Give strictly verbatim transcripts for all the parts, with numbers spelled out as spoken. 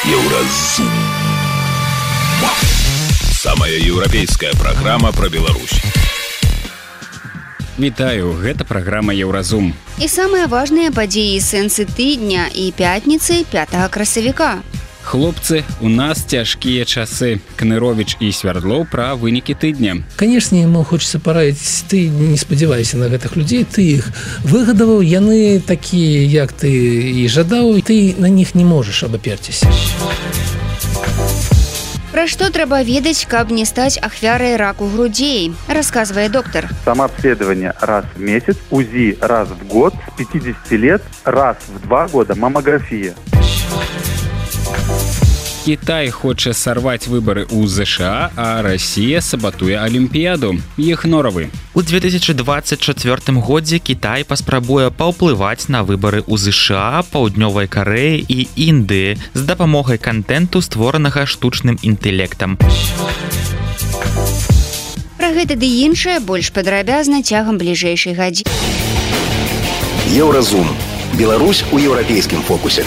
Еўразум. Самая еўрапейская праграма пра Беларусь. Вітаю, гэта праграма Еўразум. І самыя важныя падзеі і сэнсы тыдня і пятніцы пятага красавіка. Хлопцы, у нас цяжкія часы. Кныровіч і Свярдлоў пра вынікі тыдня. Конечно, ему хочется параіць, ты не спадзявайся на гэтых людзей, ты іх выгадаваў, яны такія, як ты і жадаў, і ты на них не можаш абаперціся. Пра што трэба ведаць, каб не стаць ахвярай раку грудзей, расказвае доктор. Самообследование раз в месяц, УЗИ раз в год, с пятидесяти лет раз в два года маммография. Кітай хоча сарваць выбары ў ЗША, а Расія сабатуе Алімпіяду. Іх норавы. У две тысячи двадцать четвёртым годзе Кітай паспрабуе паўплываць на выбары ў ЗША, Паўднёвай Карэі і Індыі з дапамогай кантэнту, створанага штучным інтэлектам. Пра гэта ды іншае больш падрабязна цягам бліжэйшай гадзіны. Еўразум. Беларусь у еўрапейскім фокусе.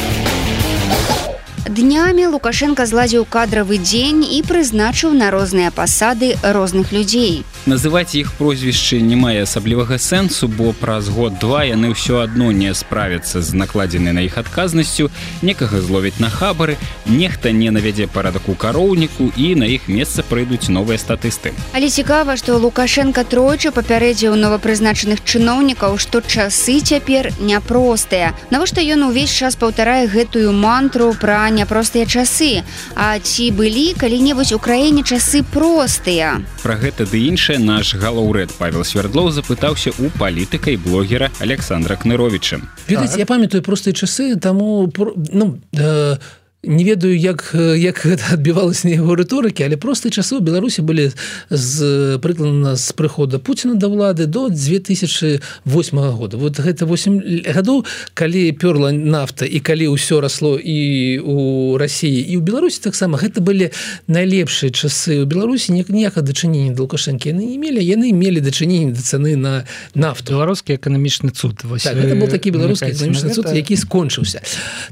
Днямі Лукашенка зладзіў кадравы дзень і прызначыў на розныя пасады розных людзей. Называць іх прозвішчы не мае асаблівага сэнсу, бо праз год-два яны ўсё адно не справяцца з накладзенай на іх адказнасцю, некага зловяць на хабары, нехта не навядзе парадак у кароўніку і на іх месца прыйдуць новыя статысты. Але цікава, што Лукашенка тройчы папярэдзіў новапрызначаных чыноўнікаў, што часы цяпер няпростыя. Навошта ён увесь час паўтарае гэтую мантру пра няпростыя часы? А ці былі калі-небудзь у краіне часы простыя? Пра гэта ды іншае наш галоўрэд Павел Свярдлоў запытаўся у палітыка і блогера Александра Кныровіча. Ведаеце, я памятаю простыя часы, таму ну, э, не ведаю, як, як гэта адбівалася на яго рыторыкі, але простыя часы ў Беларусі былі з прыкладна з прыхода Пуціна да ўлады до две тысячи восьмага года. Вот гэта восемь гадоў, калі пёрла нафта і калі ўсё расло і ў Расіі, і ў Беларусі таксама, гэта былі найлепшыя часы. У Беларусі ніякага дачынення да Лукашэнкі яны не мелі, яны мелі дачыненне да цаны на нафту. Беларускі эканамічны цуд. Так, гэта был такі беларускі эканамічны цуд, які скончыўся.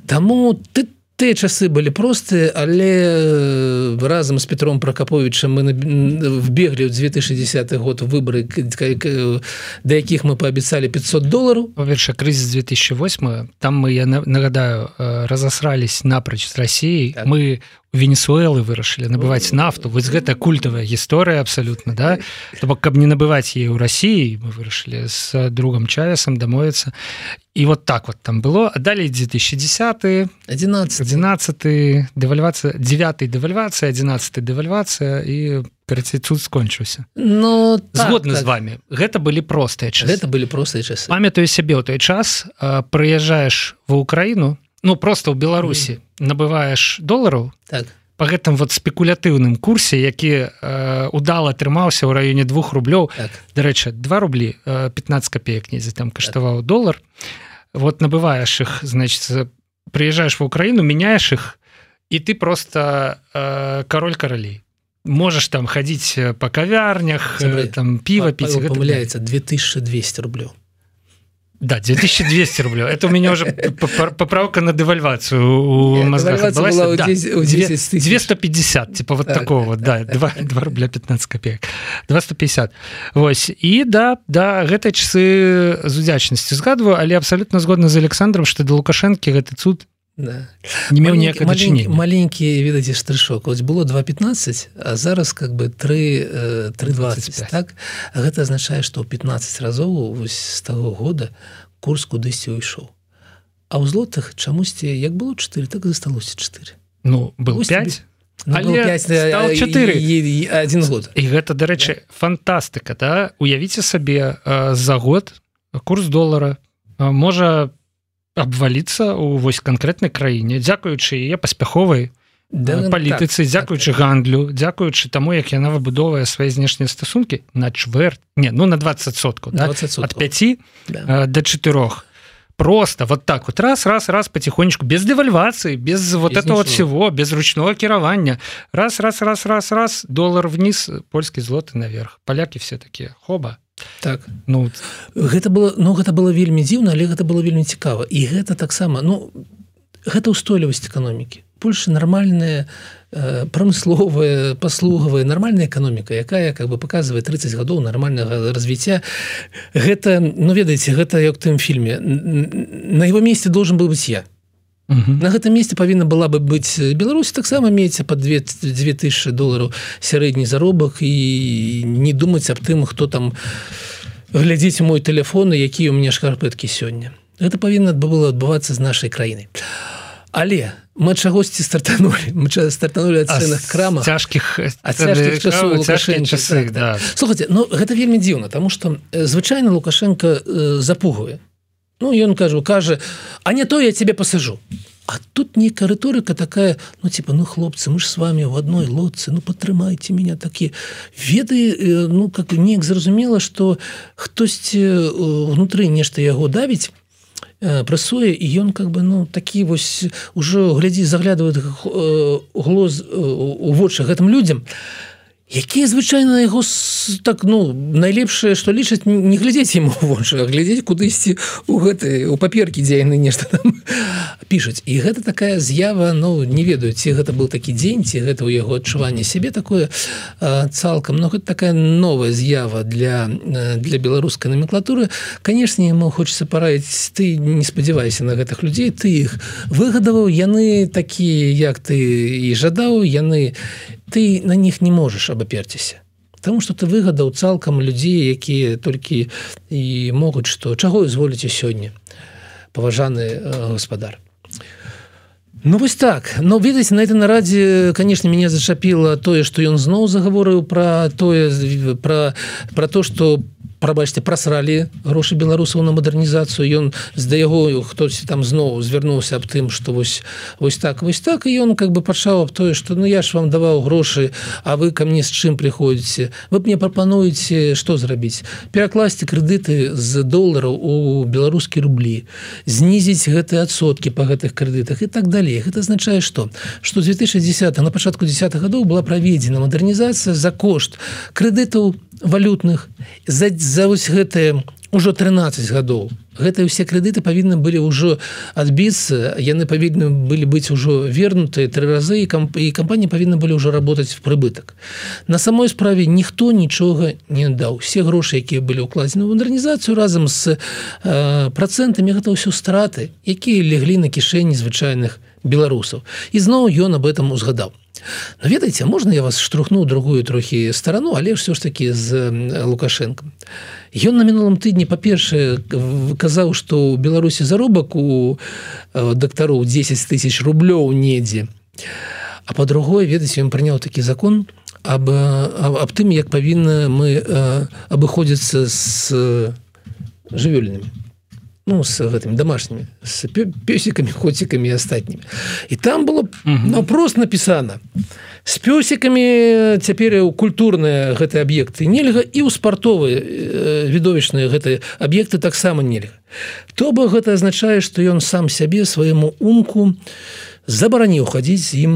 Таму ты Тыя часы былі простыя, але разам з Петром Пракаповічам мы вбеглі ў две тысячи десятый год выборы, да якіх мы паабяцалі пятьсот долараў. Па-першае, крызіс две тысячи восьмого, там мы, я нагадаю, разасрались напроч з Расіяй. Так. Мы у Венесуэлы вырашылі набываць нафту. Вось гэта культавая гісторыя абсалютна, да? То бок, каб не набываць яе ў Расіі, мы вырашылі з другом Чавесам дамовіцца. І вот так вот там было. А далей две тысячи десятый, одиннадцатый, девальвацыя, девятый девальвацыя, одиннадцатый девальвацыя і карацей цуд скончыўся. Ну, згодны так, з вами. Гэта былі простыя часы. Гэта былі простыя часы. Памятаю сябе ў той час, прыязджаеш ва Украіну, ну просто ў Беларусі, mm. набываеш долараў, так. Па гэтым вот спекулятыўным курсе, які э, удала атрымаўся ў раёне двух рублёў. Так. Дарэчы, два рублі, э, пятнадцать копеек недзе там каштаваў так. долар. Вот набываешь их, значит, приезжаешь в Украину, меняешь их, и ты просто э, король королей. Можешь там ходить по кавярнях, э, там пиво пить. Павел помыляется, две тысячи двести рублей. Да, две тысячи двести рублей. Это у меня уже поправка на девальвацию у мозгах отбылась. Была да, двести пятьдесят, типа вот так, такого вот, да, два рубля пятнадцать копеек. двести пятьдесят. Вось. И да, да, гэты часы з удзячнасцю згадваю, але абсолютно згодна з Александром, што да Лукашэнкі гэты цуд да. не меў ніякага дачынення. Маленькі, видите, штришок. Ось было два пятнадцать, а зараз как бы три двадцать, так? А гэта азначае, што ў пятнадцать разоў вось з таго года курс кудысьці ўйшоў. А ў злотых чамусьці, як было чатыры, так і засталося чатыры. Ну, был пять, ну, але пять, стал чатыры. І, і один год. І гэта, дарэчы, фантастыка, да? Уявіце сабе, за год курс долара можа абваліцца ў вось канкрэтнай краіне, дзякуючы яе паспяховай да, палітыцы, так, дзякуючы так, гандлю, дзякуючы таму, як яна выбудоўвае свае знешнія стасункі на чвэрть, не, ну на двадцать соткаў, да? ад пяти да. до четырёх. Просто вот так вот, раз, раз, раз, потихонечку, без девальвации, без, без вот этого вот всего, без ручного кіравання. Раз, раз, раз, раз, раз, доллар вниз, польский злоты наверх. Поляки все такие, хоба. Так. Ну, гэта было, ну, гэта было вельмі дзіўна, але гэта было вельмі цікава. І гэта таксама, ну, гэта ўстойлівасць эканомікі. Польша нармальная прамысловая, паслугавая, нармальная эканоміка, якая как бы показывае тридцать гадоў нармальнага развіцця. Гэта, ну ведаеце, гэта як в тым фільме. На его месте должен был быть я. Uh-huh. На гэтым месте павінна была бы быць Беларусь, таксама мець па две тысячи долараў сярэдні заробак і не думаць аб тым, хто там глядзіць мой телефон і якія ў мяне шкарпэткі сёння. Гэта павінна было адбывацца з нашай краінай. Але мы чагосьці стартанули, мы стартанули ад цэнных крамах, цяжкіх ад цяжкіх часоў Лукашэнкі. Так, да. Слухайте, ну гэта вельмі дзіўна, таму што звычайна Лукашенко э, запугвае. Ну, ён кажу, кажа, а не то я тебе пасажу. А тут нейкая рыторыка такая, ну, типа, ну, хлопцы, мы ж с вами в одной лодцы, ну, падтрымайце меня такі. Веды, ну, как неяк зразумела, што хтосьці внутры нешта яго давіць, прасуе, і ён как бы, ну, такі вось ужо глядзі, заглядвае глоз у вочы гэтым людзям, якія звычайна яго так, ну, найлепшае, што лічаць, не глядзець яму ў вочы, а глядзець кудысьці у гэтай, у паперкі, дзе яны нешта там пішуць. І гэта такая з'ява, ну, не ведаю, ці гэта быў такі дзень, ці гэта ў яго адчуванне сябе такое а, цалкам, но гэта такая новая з'ява для, для беларускай номенклатуры. Канешне, яму хочацца параіць, ты не спадзявайся на гэтых людзей, ты іх выгадаваў, яны такія, як ты і жадаў, яны ты на них не можаш абаперціся. Таму што ты выгадаў цалкам людзей, якія толькі і могуць, што чаго зволіце сёння, паважаны э, гаспадар. Ну вось так. Ну, ведаеце, на этой нарадзе, конечно, мяне зачапіла тое, што ён зноў загаворыў пра тое, пра, пра то, што прабачце, прасралі грошы беларусаў на мадэрнізацыю. Ён з-да яго хтось там зноў звярнуўся аб тым, што вось, вось так, вось так, і ён как бы пачаў аб тое, што ну я ж вам даваў грошы, а вы ко мне з чым прыходзіце? Вы мне прапануеце што зрабіць? Перакласці крэдыты з долараў у беларускія рублі, знізіць гэтыя адсоткі па гэтых крэдытах і так далей. Гэта азначае што? Што з две тысячи дзесятого, на пачатку дзесятых гадоў была праведзена мадэрнізацыя за кошт крэдытаў валютных, за, за вось гэтыя ўжо трынаццаць гадоў. Гэтыя ўсе крэдыты павінны былі ўжо адбіцца, яны павінны былі быць ужо вернутыя тры разы, і, камп і кампаніі павінны былі ўжо работаць в прыбытак. На самой справе ніхто нічога не даў. Все грошы, якія былі ўкладзены ў мадэрнізацыю разам з э, працэнтамі, гэта ўсё страты, якія леглі на кішэні звычайных беларусаў. І зноў ён аб этом узгадаў. Ну, ведаеце, можна я вас штурхну ў другую трохі старану, але ўсё ж такі з Лукашэнкам. Ён на мінулым тыдні, па-першае, казаў, што ў Беларусі заробак у дактароў дзесяць тысяч рублёў недзе. А па-другое, ведаеце, ён прыняў такі закон аб, аб, аб тым, як павінна мы абыходзіцца з жывёльнымі. Ну, с гэтымі домашнімі, с пёсікамі, коцікамі і астатнімі. І там было наўпрост напісана: з пёсікамі цяпер культурныя гэтыя аб'екты нельга, і ў спартовыя відовішчныя гэтыя аб'екты таксама нельга. То бок гэта азначае, што ён сам сябе, свайму умку забараніў хадзіць з ім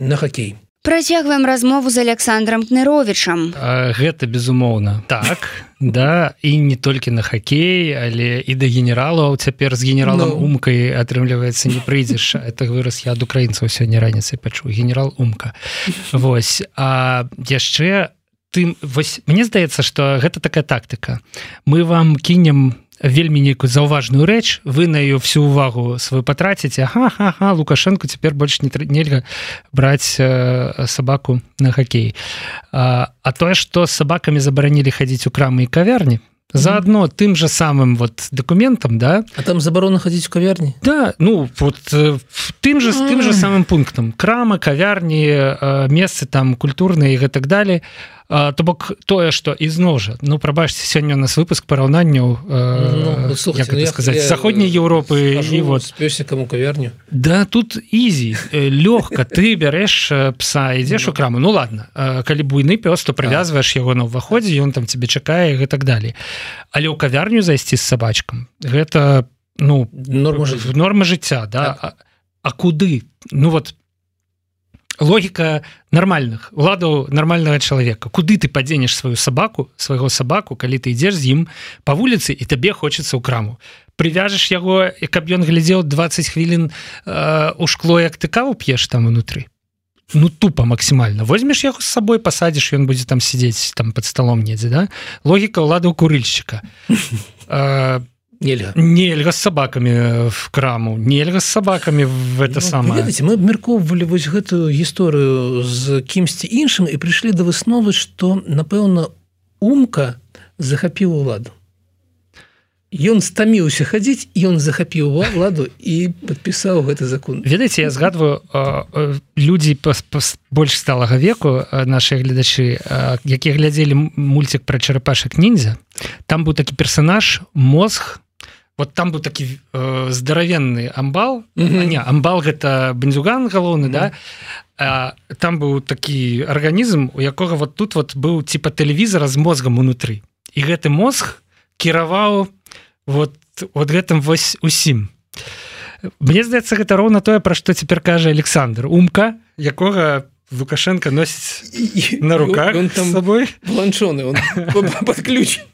на хакей. Працягваем размову з Александром Кныровічам. Гэта безумоўна. Так, да, і не толькі на хакей, але і да генералаў. Цяпер з генералам no. Умкай, атрымліваецца, не прыйдзеш. Это выраз я ад украінцаў сёння раніцай пачуў. Генерал Умка. Вось. А яшчэ тым, вось, мне здаецца, што гэта такая тактыка. Мы вам кінем вельмі нейкую заўважную рэч, вы на ее всю увагу свою патраціце, ага-ха-ха, Лукашенко цяпер больш не нельга браць э, сабаку на хакей. А, а тое, што з сабакамі забаранілі хадзіць у крамы і кавярні, заодно тым же самым вот документам, да? А там забарона хадзіць у кавярні? Да, ну вот э, тым же, тым же самым пунктам. Крама, кавярні, э, месцы там культурныя і гэтак далей. А, то бок тое, што ізноў жа, ну прабачце, сёння у нас выпуск параўнанняў э, ну, як это сказаць, з заходняй Еўропы і вот з пёсікам у кавярню. Да, тут ізі, лёгка, ты бярэш пса, ідзеш у краму. Ну ладно, калі буйны пёс, то прывязваеш яго на ўваходзе, ён там цябе чакае і гэтак далей. Але ў кавярню зайсці з сабачкам, гэта, ну, норма жыцця, норма жыцця, да. Так. А, а куды? Ну вот логіка нармальных уладаў нармальнага чалавека. Куды ты падзенеш сваю сабаку свайго сабаку, калі ты ідзеш з ім па вуліцы і табе хочацца ў краму, прывяжаш яго, каб ён глядзеў двадцать хвілін э, у шкло, як ты каву п'еш там унутры. Ну тупо максімальна. Возьмеш яго з сабой, пасадзіш, ён будзе там сидзець там под столом недзе, да? Логіка ўладаў курыльшчыка. э, Нельга. Нельга з сабакамі в краму, нельга з сабакамі в это ну, самае. Ведаеце, мы абмяркоўвалі вось гэтую гісторыю з кімсьці іншым і прыйшлі да высновы, што, напэўна, Умка захапіў уладу. Ён стаміўся хадзіць, ён захапіў уладу і падпісаў гэты закон. Ведаеце, я згадваю, людзі больш сталага веку, нашыя гледачы, якія глядзелі мульцік пра чарапашак ніндзя, там быў такі персанаж, мозг. Вот там быў такі э, здаравенны амбал. Mm-hmm. А, не, амбал гэта бандзюган галоўны, mm-hmm. да? А, там быў такі арганізм, у якога вот тут вот быў типа тэлевізара з мозгам унутры. І гэты мозг кіраваў вот, вот гэтым вось усім. Мне здаецца, гэта роўна тое, пра што цяпер кажа Александр. Умка, якога Лукашенко носіць на руках он там з сабой. Бланчоны, он подключен.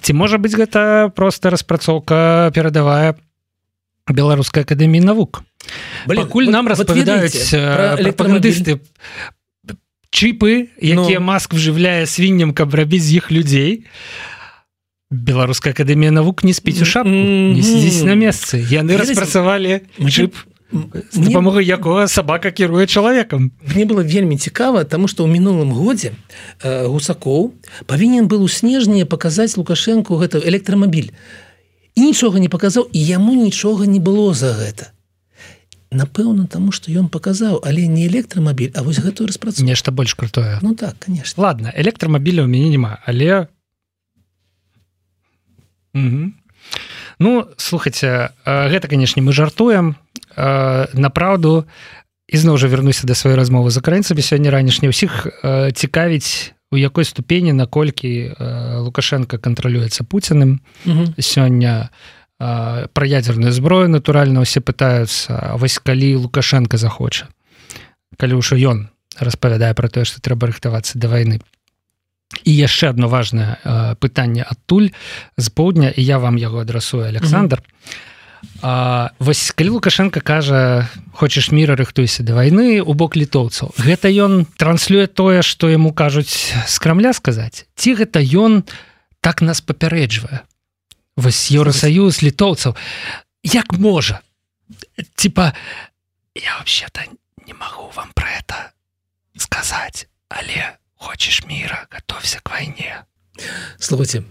Ці можа быць гэта проста распрацоўка перадавая Беларускай акадэміі навук? Блин, Пакуль вот, нам вот распавядаюць прапагандысты чипы, якія Но... Маск вжывляе свінням, каб рабіць з іх людзей, Беларуская акадэмія навук не спіць у шапку, mm-hmm. не сидзіць на месцы. Яны распрацавалі чып, з дапамогай якога сабака кіруе чалавекам. Мне было вельмі цікава, таму што ў мінулым годзе э, Гусакоў павінен быў у снежні паказаць Лукашэнку гэта электрамабіль. І нічога не паказаў, і яму нічога не было за гэта. Напэўна, таму што ён паказаў, але не электрамабіль, а вось гэтую распрацоўку. Нешта больш крутое. Ну так, конечно. Ладно, электрамабіля ў мяне няма, але... Угу. Ну, слухайце, гэта, канешне, мы жартуем. Направду, ізноў жа вернуся да сваёй размовы з украінцамі сёння ранішне, ўсіх цікавіць, у якой ступені, наколькі Лукашенко кантралюецца Пуціным. Угу. Сёння пра ядерную зброю, натуральна, усе пытаюцца, вось калі Лукашенко захоча, калі ўжо ён распавядае пра тое, што трэба рыхтавацца да вайны. І яшчэ одно важнае э, пытанне адтуль з поўдня, і я вам яго адрасую, Александр. Mm-hmm. А, вось калі Лукашенко кажа, хочаш міра, рыхтуйся да вайны у бок літоўцаў, гэта ён транслюе тое, што яму кажуць з Крамля сказаць? Ці гэта ён так нас папярэджвае? Вось Еўросаюз, літоўцаў. Як можа? Типа, я вообще-то не магу вам про это сказаць, але... Хочешь мира, готовься к войне. Слухайте,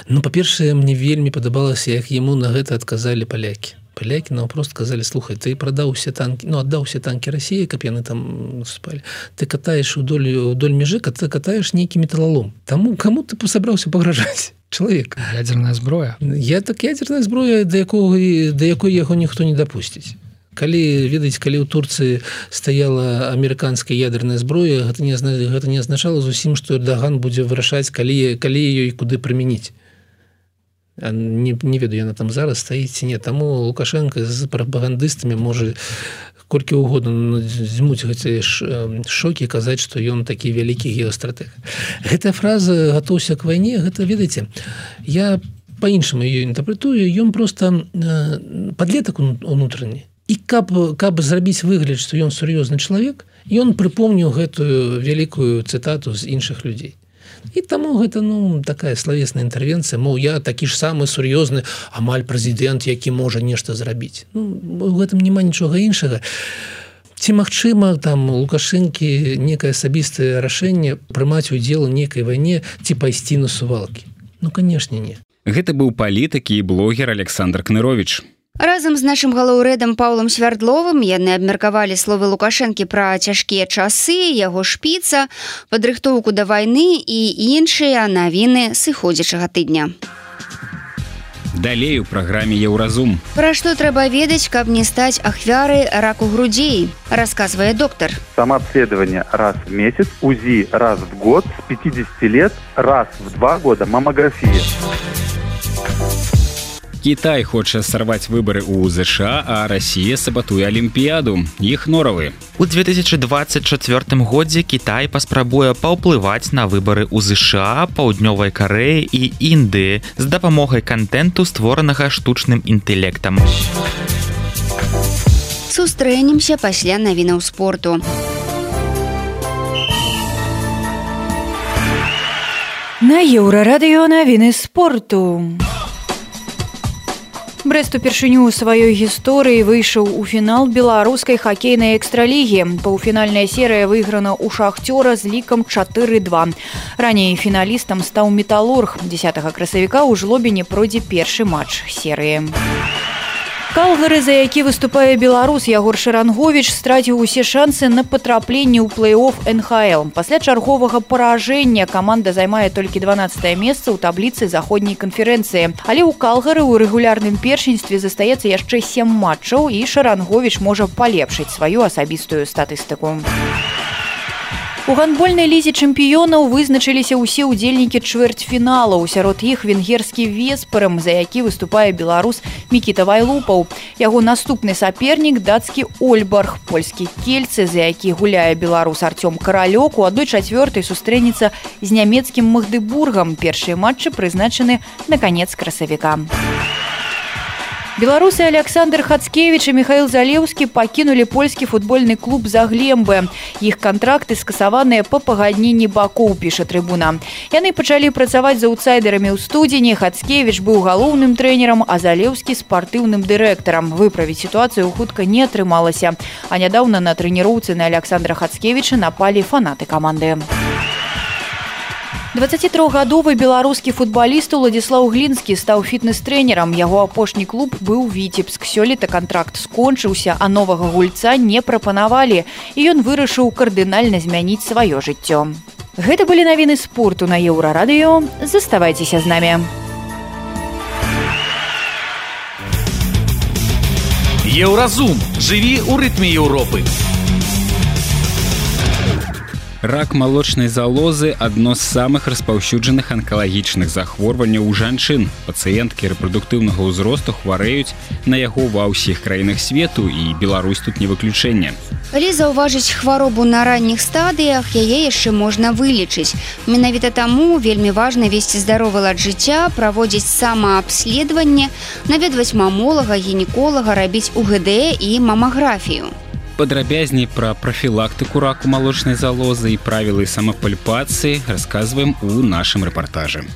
ну, па-першае, мне вельмі падабалася, як яму на гэта адказалі палякі. Палякі наўпрост казалі, слухай, ты прадаў усе танкі, ну, аддаў усе танкі Расіі, каб яны там спалі. Ты катаеш удоль, удоль мяжы, ты катаеш нейкі металлолом. Таму каму ты сабраўся пагражаць? Чалавек. Ядерная зброя. Я так ядерная зброя, да, якого, да якой яго ніхто не дапусціць. Калі, ведаеце, калі ў Турцыі стаяла амерыканская ядерная зброя, гэта не, гэта не азначала зусім, што Эрдаган будзе вырашаць, калі, калі ёй куды прымяніць. Не, не ведаю, яна там зараз стаіць ці не. Таму Лукашенко з прапагандыстамі можа колькі ўгодна дзьмуць гэтыя шокі, казаць, што ён такі вялікі геастратэг. Гэтая фраза «гатоўся к вайне», гэта, ведаеце, я па-іншаму ёй інтэрпрэтую, ён проста падлетак унутраны. І каб, каб зрабіць выгляд, што ён сур'ёзны чалавек, ён прыпомніў гэтую вялікую цытату з іншых людзей. І таму гэта, ну, такая славесная інтэрвенцыя, мол, я такі ж самы сур'ёзны амаль прэзідэнт, які можа нешта зрабіць. Ну, у гэтым няма нічога іншага. Ці магчыма там Лукашэнкі некае асабістае рашэнне прымаць удзел у нейкай вайне ці пайсці на сувалкі? Ну, канешне, не. Гэта быў палітык і блогер Александр Кныровіч. Разам з нашым галаўрэдам Паўлам Свярдловым яны абмеркавалі словы Лукашэнкі пра цяжкія часы, яго шпіца, падрыхтоўку да вайны і іншыя навіны сыходзячага тыдня. Далей у праграме «Еўразум». Пра што трэба ведаць, каб не стаць ахвярай раку грудзей, расказвае доктор. Самообследование раз в месяц, УЗИ раз в год, с пятидесяти лет раз в два года маммография. Кітай хоча сарваць выбары ў ЗША, а Расія сабатуе Алімпіяду. Іх норавы. У две тысячи двадцать четвёртым годзе Кітай паспрабуе паўплываць на выбары ў ЗША, Паўднёвай Карэі і Індыі з дапамогай кантэнту, створанага штучным інтэлектам. Сустрэнемся пасля навінаў спорту. На Еўрарадыё навіны спорту. Брэст упершыню ў сваёй гісторыі выйшаў у фінал беларускай хакейнай экстралігі. Паўфінальная серыя выйграна ў шахцёра з лікам чатыры два. Раней фіналістам стаў металург. дзесятага красавіка ў Жлобіне пройдзе першы матч серыі. Калгары, за які выступае беларус Ягор Шаранговіч, страціў усе шансы на патрапленне ў плэй-офф эн ха эл. Пасля чарговага паражэння каманда займае толькі дванаццатае месца ў табліцы заходняй канферэнцыі. Але ў Калгары ў рэгулярным першынстве застаецца яшчэ сем матчаў, і Шаранговіч можа палепшыць сваю асабістую статыстыку. У гандбольнай лізе чэмпіёнаў вызначыліся ўсе ўдзельнікі чвэрцьфіналаў. Сярод іх венгерскі Веспарам, за які выступае беларус Мікіта Вайлупаў. Яго наступны сапернік дацкі Ольбарг, польскі Кельцы, за які гуляе беларус Арцём Каралёк, у адной чацвёртай сустрэнецца з нямецкім Магдебургам. Першыя матчы прызначаны на канец красавіка. Беларусы Александр Хацкевіч і Михаил Залеўскі пакінулі польскі футбольны клуб «Заглембе». Іх кантракты скасаваныя па пагадненні бакоў, піша трыбуна. Яны пачалі працаваць з аўтсайдерамі ў студзені. Хацкевіч быў галоўным трэнерам, а Залеўскі спартыўным дырэктарам. Выправіць сітуацыю хутка не атрымалася. А нядаўна на трэніроўцы на Александра Хацкевіча напалі фанаты каманды. дваццацітрохгадовы беларускі футбаліст Уладзіслаў Глінскі стаў фітнес-трэнерам. Яго апошні клуб быў Віцебск. Сёлета кантракт скончыўся, а новага гульца не прапанавалі. І ён вырашыў кардынальна змяніць сваё жыццё. Гэта былі навіны спорту на Еўрарадыё. Заставайцеся з намі. Еўразум. Жыві ў рытме Еўропы. Рак малочнай залозы – адно з самых распаўсюджаных анкалагічных захворванняў у жанчын. Пацыенткі рэпрадуктыўнага ўзросту хварэюць на яго ва ўсіх краінах свету, і Беларусь тут не выключэнне. Калі заўважыць хваробу на ранніх стадыях, яе яшчэ можна вылечыць. Менавіта таму вельмі важна весці здаровы лад жыцця, праводзіць самаабследаванне, наведваць мамолага, гінеколага, рабіць у гэ дэ і мамаграфію. Падрабязней пра прафілактыку раку малочнай залозы і правілы самапальпацыі расказваем у нашым рэпартажы.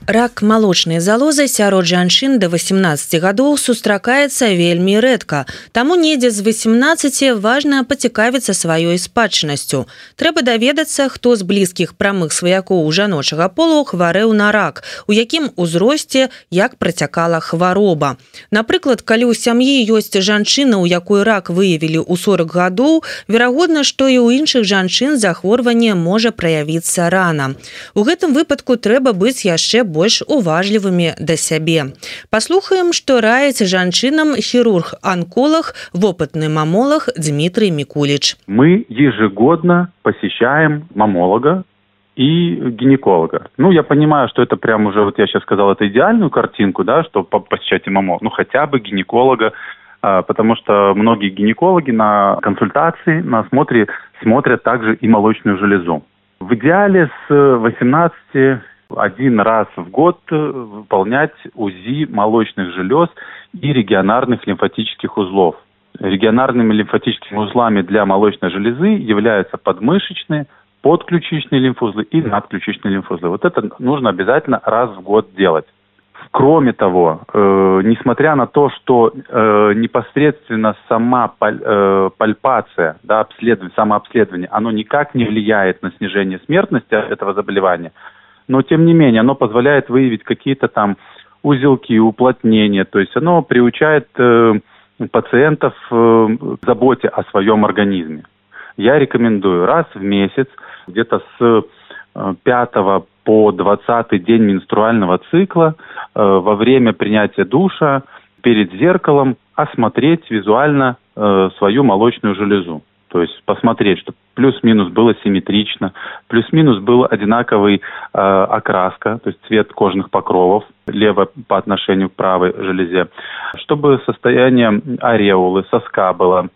Рак малочнай залозы сярод жанчын да васемнаццаці гадоў сустракаецца вельмі рэдка. Таму недзе з васемнаццаці важна пацікавіцца сваёй спадчыннасцю. Трэба даведацца, хто з блізкіх прамых сваякоў жаночага полу хварэў на рак, у якім узросце, як працякала хвароба. Напрыклад, калі ў сям'і ёсць жанчына, у якой рак выявілі ў сорак гадоў, верагодна, што і ў іншых жанчын захворванне можа праявіцца рана. У гэтым выпадку трэба быць яшчэ больш уважлівымі да сябе. Паслухаем, што раіць жанчынам хірург-анколог, вопытны мамолог Дмитрий Микулич. Мы ежегодно посещаем мамолога и гинеколога. Ну, я понимаю, что это прям уже, вот я сейчас сказал, это идеальную картинку, да, что посещать мамолога, ну, хотя бы гинеколога, потому что многие гинекологи на консультации, на осмотре смотрят также и молочную железу. В идеале с восемнадцати один раз в год выполнять УЗИ молочных желез и регионарных лимфатических узлов. Регионарными лимфатическими узлами для молочной железы являются подмышечные, подключичные лимфоузлы и надключичные лимфоузлы. Вот это нужно обязательно раз в год делать. Кроме того, э, несмотря на то, что э, непосредственно сама паль, э, пальпация, да, обследование, самообследование, оно никак не влияет на снижение смертности этого заболевания, но тем не менее оно позволяет выявить какие-то там узелки, уплотнения, то есть оно приучает э, пациентов э, к заботе о своем организме. Я рекомендую раз в месяц, где-то с э, пятого по двадцатый день менструального цикла, э, во время принятия душа, перед зеркалом осмотреть визуально э, свою молочную железу. То есть посмотреть, чтобы плюс-минус было симметрично, плюс-минус был одинаковый э, окраска, то есть цвет кожных покровов, лево по отношению к правой железе, чтобы состояние ареолы, соска было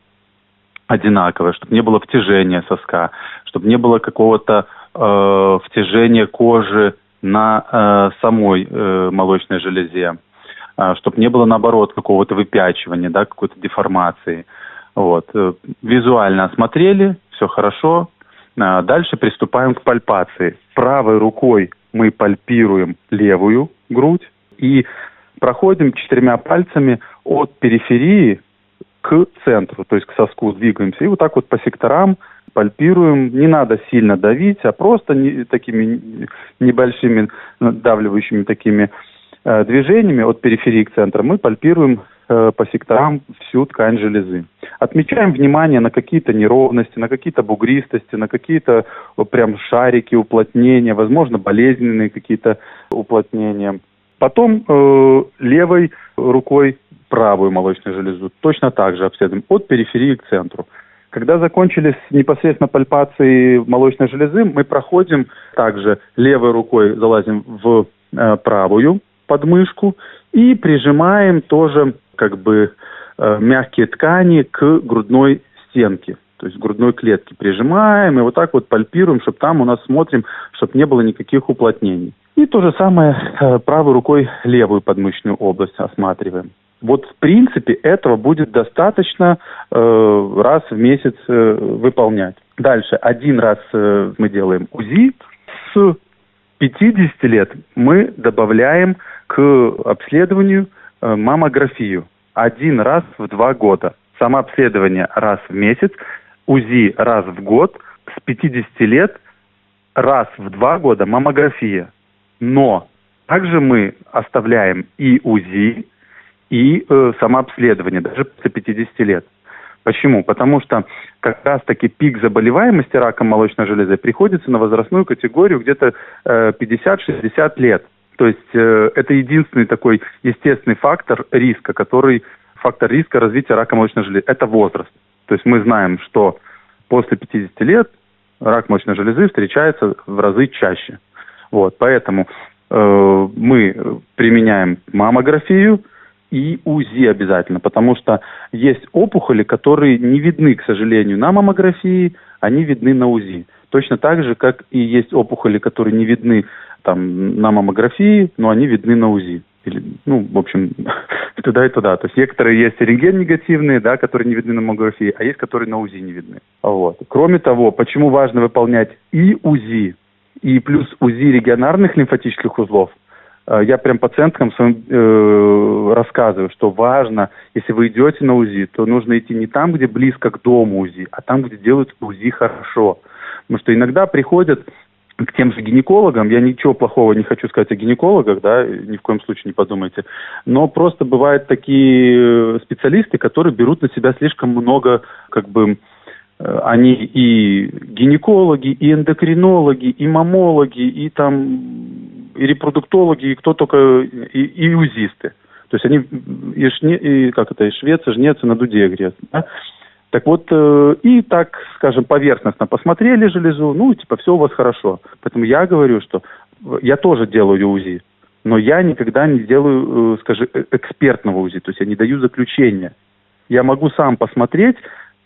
одинаковое, чтобы не было втяжения соска, чтобы не было какого-то э, втяжения кожи на э, самой э, молочной железе, э, чтобы не было, наоборот, какого-то выпячивания, да, какой-то деформации. Вот. Визуально осмотрели, все хорошо. Дальше приступаем к пальпации. Правой рукой мы пальпируем левую грудь и проходим четырьмя пальцами от периферии к центру, то есть к соску двигаемся. И вот так вот по секторам пальпируем. Не надо сильно давить, а просто не, такими небольшими надавливающими такими э, движениями от периферии к центру мы пальпируем по секторам всю ткань железы. Отмечаем внимание на какие-то неровности, на какие-то бугристости, на какие-то прям шарики, уплотнения, возможно, болезненные какие-то уплотнения. Потом э, левой рукой правую молочную железу точно так же обследуем от периферии к центру. Когда закончили с непосредственно пальпацией молочной железы, мы проходим также левой рукой, залазим в э, правую подмышку и прижимаем тоже как бы э, мягкие ткани к грудной стенке, то есть грудной клетке прижимаем и вот так вот пальпируем, чтобы там у нас смотрим, чтобы не было никаких уплотнений. И то же самое э, правой рукой левую подмышечную область осматриваем. Вот в принципе этого будет достаточно э, раз в месяц э, выполнять. Дальше один раз э, мы делаем УЗИ. С пятидесяти лет мы добавляем к обследованию э, маммографию. Один раз в два года. Самообследование раз в месяц, УЗИ раз в год, с пятидесяти лет раз в два года маммография. Но также мы оставляем и УЗИ, и э, самообследование, даже после пятидесяти лет. Почему? Потому что как раз-таки пик заболеваемости раком молочной железы приходится на возрастную категорию где-то э, пятьдесят-шестьдесят лет. То есть э, это единственный такой естественный фактор риска, который фактор риска развития рака молочной железы. Это возраст. То есть мы знаем, что после пятидесяти лет рак молочной железы встречается в разы чаще. Вот, поэтому э, мы применяем маммографию и УЗИ обязательно, потому что есть опухоли, которые не видны, к сожалению, на маммографии, они видны на УЗИ. Точно так же, как и есть опухоли, которые не видны там, на маммографии, но они видны на УЗИ. Или, ну, в общем, туда и туда. То есть некоторые есть рентген-негативные, да, которые не видны на маммографии, а есть, которые на УЗИ не видны. Вот. Кроме того, почему важно выполнять и УЗИ, и плюс УЗИ регионарных лимфатических узлов, я прям пациенткам своим э, рассказываю, что важно, если вы идете на УЗИ, то нужно идти не там, где близко к дому УЗИ, а там, где делают УЗИ хорошо. Потому что иногда приходят к тем же гинекологам, я ничего плохого не хочу сказать о гинекологах, да, ни в коем случае не подумайте, но просто бывают такие специалисты, которые берут на себя слишком много, как бы, они и гинекологи, и эндокринологи, и маммологи, и там и репродуктологи, и кто только, и, и УЗИсты. То есть они и, шне, и как это, и швец, и жнец, и на дуде грец. Да? Так вот, э, и так, скажем, поверхностно посмотрели железу, ну, типа, все у вас хорошо. Поэтому я говорю, что я тоже делаю УЗИ, но я никогда не делаю, э, скажем, экспертного УЗИ, то есть я не даю заключения. Я могу сам посмотреть,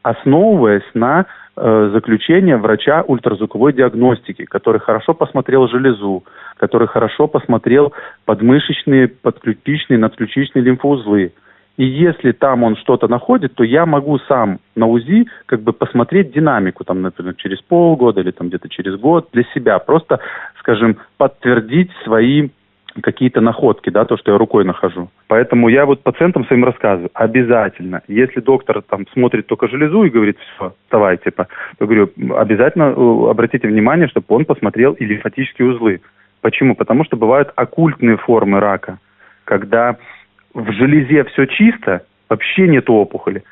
основываясь на э, заключение врача ультразвуковой диагностики, который хорошо посмотрел железу, который хорошо посмотрел подмышечные, подключичные, надключичные лимфоузлы. И если там он что-то находит, то я могу сам на УЗИ как бы посмотреть динамику, там, например, через полгода или там где-то через год для себя. Просто, скажем, подтвердить свои какие-то находки, да, то, что я рукой нахожу. Поэтому я вот пациентам своим рассказываю, обязательно, если доктор там смотрит только железу и говорит, все, вставай, типа, то говорю, обязательно обратите внимание, чтобы он посмотрел и лимфатические узлы. Почему? Потому что бывают оккультные формы рака, когда в железе все чисто, вообще нет опухоли,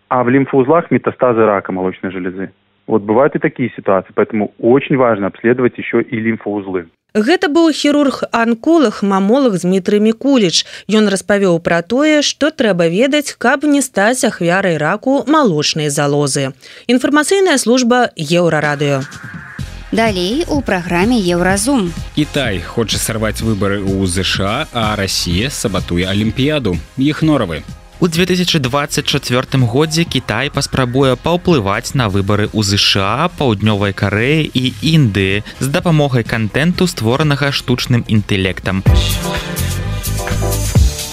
а в лимфоузлах метастазы рака молочной железы. Вот бывают и такие ситуации, поэтому очень важно обследовать еще и лимфоузлы. Гэта быў хірург-анколог, мамолог Дмітрый Мікуліч. Ён распавёў пра тое, што трэба ведаць, каб не стаць ахвярай раку малочнай залозы. Інфармацыйная служба Еўрарадыё. Далей у праграме Еўразум. Кітай хоча сарваць выбары ў ЗША, а Расія сабатуе Алімпіяду. Іх норавы. У две тысячи двадцать четвёртым годзе Кітай паспрабуе паўплываць на выбары ў ЗША, Паўднёвай Карэі і Індыі з дапамогай кантэнту, створанага штучным інтэлектам.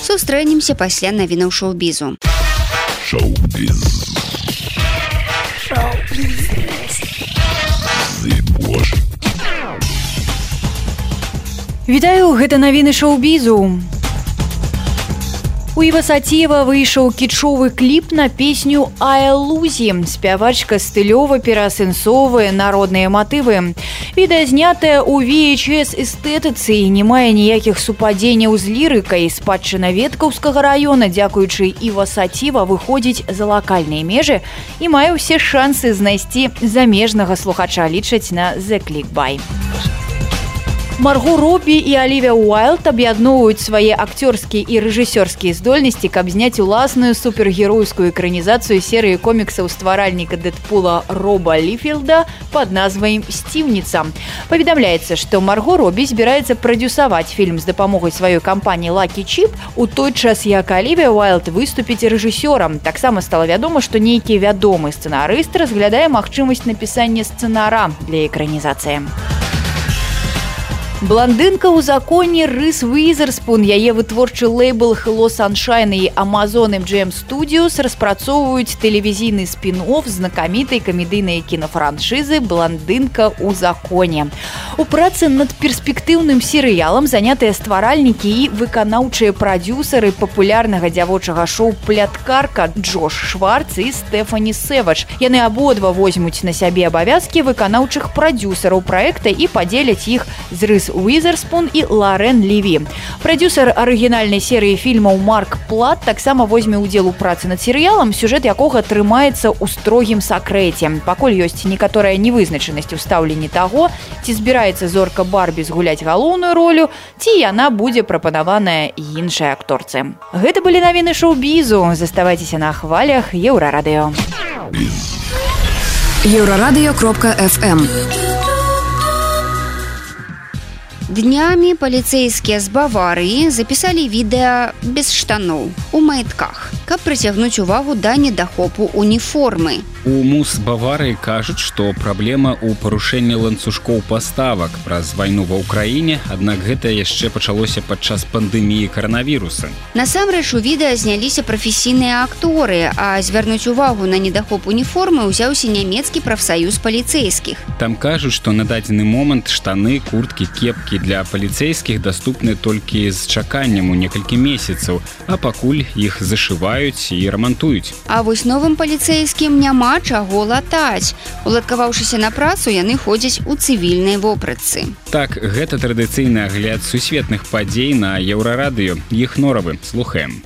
Сустрэнемся пасля навінаў шоу-бізу. Шоу-біз. Вітаю, гэта навіны шоу-бізу. У Івасаціева выйшаў кічовы кліп на песню «Аэлузі». Спявачка стылёва пераасэнсоўвае народныя матывы. Відэа знятае ў ви эйч эс-эстэтыцы і не мае ніякіх супадзенняў з лірыкай. Спадчына Веткаўскага раёна, дзякуючы Івасаціева, выходзіць за лакальныя межы і мае ўсе шансы знайсці замежнага слухача, лічаць на The Clickbait. Марго Робі і Алівія Уайлд аб'ядноўваюць свае акцёрскія і рэжысёрскія здольнасці, каб зняць уласную супергеройскую экранізацыю серыі коміксаў стваральніка Дэдпула Роба Ліфілда пад назвай «Сціўніца». Паведамляецца, што Марго Робі збіраецца прадзюсаваць фільм з дапамогай сваёй кампаніі Lucky Chip, у той час як Алівія Уайлд выступіць рэжысёрам. Таксама стала вядома, што нейкі вядомы сцэнарыст разглядае магчымасць напісання сцэнара для экранізацыі. Бландынка ў законе Рыс Уизерспун, яе вытворчы лейбл Hello Sunshine і Amazon эм джи эм Studios распрацоўваюць тэлевізійны спін-офф знакамітай камедыйнай кінафраншызы «Бландынка ў законе». У працы над перспектыўным серыялам занятыя стваральнікі і выканаўчыя прадзюсары папулярнага дзявочага шоу «Пляткарка» Джош Шварц і Стэфані Сэвадж. Яны абодва возьмуць на сябе абавязкі выканаўчых прадзюсараў праекта і падзеляць іх з Рыс Уизерспун і Ларен Леві. Прадюсер арыгінальнай серыі фільмаў Марк Плат таксама возьме ўдзел у працы над серыялам, сюжэт якога трымаецца ў строгім сакрэце. Пакуль ёсць некаторая невызначанасць у стаўленні таго, ці збіраецца зорка Барбі згуляць галоўную ролю, ці яна будзе прапанаваная іншай акторцы. Гэта былі навіны шоу-бізу. Заставайцеся на хвалях Еўрарадыё. еўрарадыё кропка эф эм. Днямі паліцэйскія з Баварыі запісалі відэа без штаноў у маітках, каб прыцягнуць увагу да недахопу уніформы. У МУС Баварыі кажуць, што праблема ў парушэнні ланцужкоў паставак праз вайну ва ўкраіне, аднак гэта яшчэ пачалося падчас пандэміі каранавіруса. Насамрэч у відэа зняліся прафесійныя акторы, а звярнуць увагу на недахоп уніформы ўзяўся нямецкі прафсаюз паліцэйскіх. Там кажуць, што на дадзены момант штаны, курткі, кепкі для паліцэйскіх даступны толькі з чаканнем у некалькі месяцаў, а пакуль іх зашываюць і рамантуюць. А вось новым паліцэйскім няма чаго латаць. Уладкаваўшыся на працу, яны ходзяць у цывільнай вопратцы. Так, гэта традыцыйны агляд сусветных падзей на Еўрарадыё. Іх норавы. Слухаем.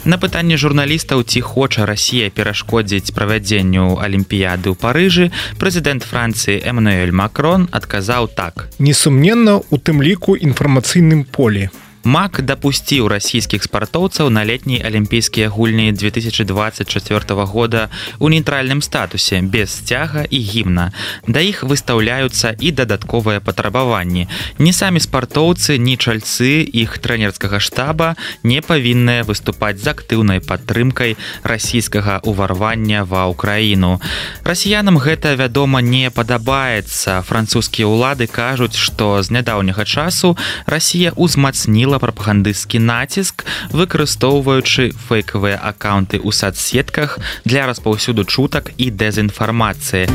На пытанне журналістаў, ці хоча Расія перашкодзіць правядзенню Алімпіяды ў Парыжы, прэзідэнт Францыі Эммануэль Макрон адказаў так. Несумненна, у тым ліку інфармацыйным полі. МАК дапусціў расійскіх спартоўцаў на летнія алімпійскія гульні две тысячи двадцать четвёртого года ў нейтральным статусе, без сцяга і гімна. Да іх выстаўляюцца і дадатковыя патрабаванні. Ні самі спартоўцы, ні чальцы іх трэнерскага штаба не павінныя выступаць з актыўнай падтрымкай расійскага ўварвання ва ўкраіну. Расіянам гэта, вядома, не падабаецца. Французскія ўлады кажуць, што з нядаўняга часу Расія ўзмацніла прапагандысцкі націск, выкарыстоўваючы фэйкавыя акаунты ў сацсетках для распаўсюду чутак і дэзінфармацыі.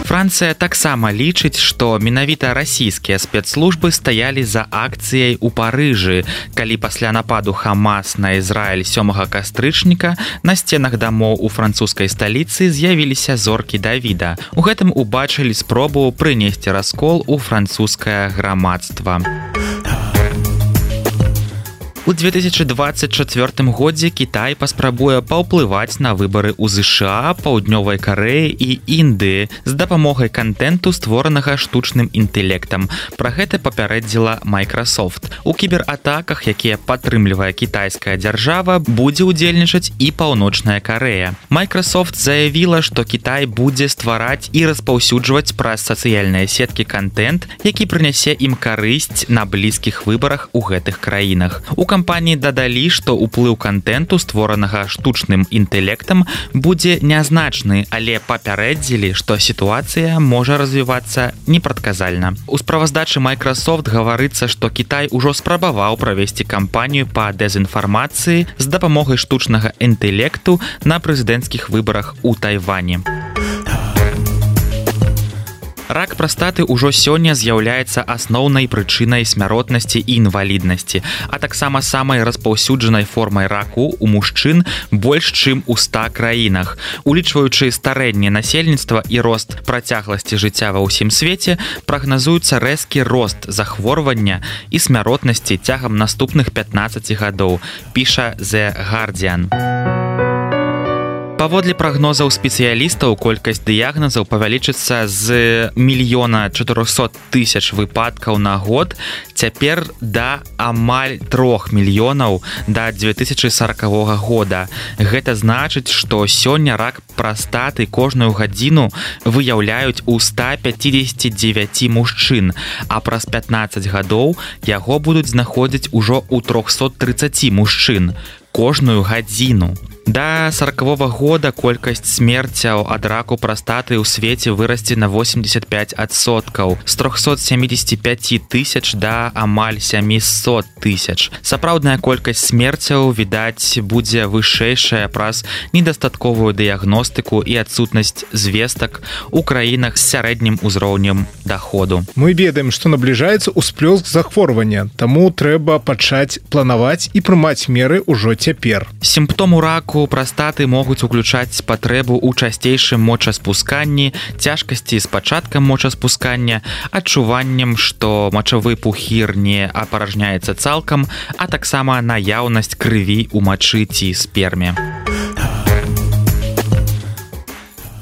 Францыя таксама лічыць, што менавіта расійскія спецслужбы стаялі за акцыяй у Парыжы, калі пасля нападу Хамас на Ізраіль сёмага кастрычніка на сценах дамоў у французскай сталіцы з'явіліся зоркі Давіда. У гэтым убачылі спробу прынесці раскол у французскае грамадства. У две тысячи двадцать четвёртым годзе Кітай паспрабуе паўплываць на выбары ў ЗША, Паўднёвай Карэі і Індыі з дапамогай кантэнту, створанага штучным інтэлектам. Пра гэта папярэдзіла Microsoft. У кібератаках, якія падтрымлівае кітайская дзяржава, будзе ўдзельнічаць і Паўночная Карэя. Microsoft заявіла, што Кітай будзе ствараць і распаўсюджваць праз сацыяльныя сеткі кантэнт, які прынясе ім карысць на блізкіх выбарах у гэтых краінах. У кампаніі дадалі, што ўплыў кантэнту, створанага штучным інтэлектам, будзе нязначны, але папярэдзілі, што сітуацыя можа развівацца непрадказальна. У справаздачы Microsoft гаварыцца, што Кітай ужо спрабаваў правесці кампанію па дэзінфармацыі з дапамогай штучнага інтэлекту на прэзідэнцкіх выбарах у Тайвані. Рак прастаты ўжо сёння з'яўляецца асноўнай прычынай смяротнасці і інваліднасці, а таксама самай распаўсюджанай формай раку ў мужчын больш чым у ста краінах. Улічваючы старэнне насельніцтва і рост працягласці жыцця ва ўсім свеце, прагназуецца рэзкі рост захворвання і смяротнасці цягам наступных пятнаццаці гадоў, піша The Guardian. Паводле прагнозаў спецыялістаў, колькасць дыягназаў павялічыцца з мільёна чатырохсот тысяч выпадкаў на год цяпер да амаль трох мільёнаў да две тысячи сорокавога года. Гэта значыць, што сёння рак прастаты кожную гадзіну выяўляюць у ста пяцідзесяці дзевяці мужчын, а праз пятнаццаць гадоў яго будуць знаходзіць ужо ў трохсот трыццаці мужчын кожную гадзіну. Да сорокавога года колькасць смерцяў ад раку прастаты ў свеце вырасце на восемьдесят пять адсоткаў, з трохсот сямідзесяці пяці тысяч да амаль сямісот тысяч. Сапраўдная колькасць смерцяў, відаць, будзе вышэйшая праз недастатковую дыягностыку і адсутнасць звестак у краінах з сярэднім узроўнем даходу. Мы ведаем, што набліжаецца ўсплёск захворвання, таму трэба пачаць планаваць і прымаць меры ўжо цяпер. Сімптому раку прастаты могуць уключаць патрэбу ў часцейшым мочаспусканні, цяжкасці з пачаткам мочаспускання, адчуваннем, што мачавы пухір не апаражняецца цалкам, а таксама наяўнасць крыві ў мачы ці сперме.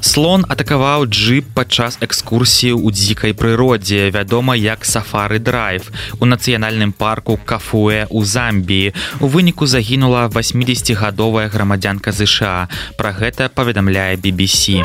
Слон атакаваў джип падчас экскурсіі ў дзікай прыродзе, вядома як сафары-драйв, у нацыянальным парку Кафуэ ў Замбіі. У выніку загінула васьмідзесяцігадовая грамадзянка ЗША. Пра гэта паведамляе би би сі.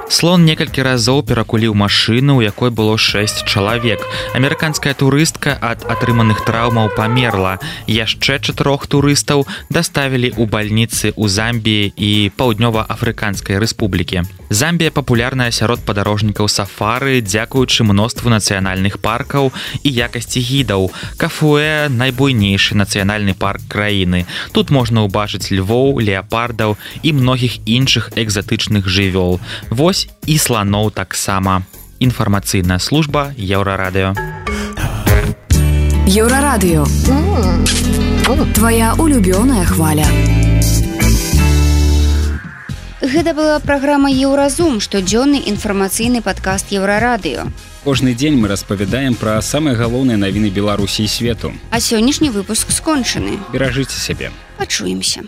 Слон некалькі разоў перакуліў машыну, у якой было шэсць чалавек. Амерыканская турыстка ад атрыманых траўмаў памерла. Яшчэ чатырох турыстаў даставілі ў бальніцы ў Замбіі і Паўднёва-Афрыканскай рэспублікі. Замбія папулярная сярод падарожнікаў сафары дзякуючы мноству нацыянальных паркаў і якасці гідаў. Кафуэ – найбуйнейшы нацыянальны парк краіны. Тут можна ўбачыць львоў, леапардаў і многіх іншых экзатычных жывёл. Вось і сланоў таксама. Інфармацыйная служба Еўрарадыё. Еўрарадыё. Твая улюбёная хваля. Гэта была праграма «Еўразум», штодзённы інфармацыйны падкаст Еўрарадыё. Кожны дзень мы распавядаем пра самыя галоўныя навіны Беларусі і свету. А сённяшні выпуск скончаны. Беражыце сябе. Пачуемся.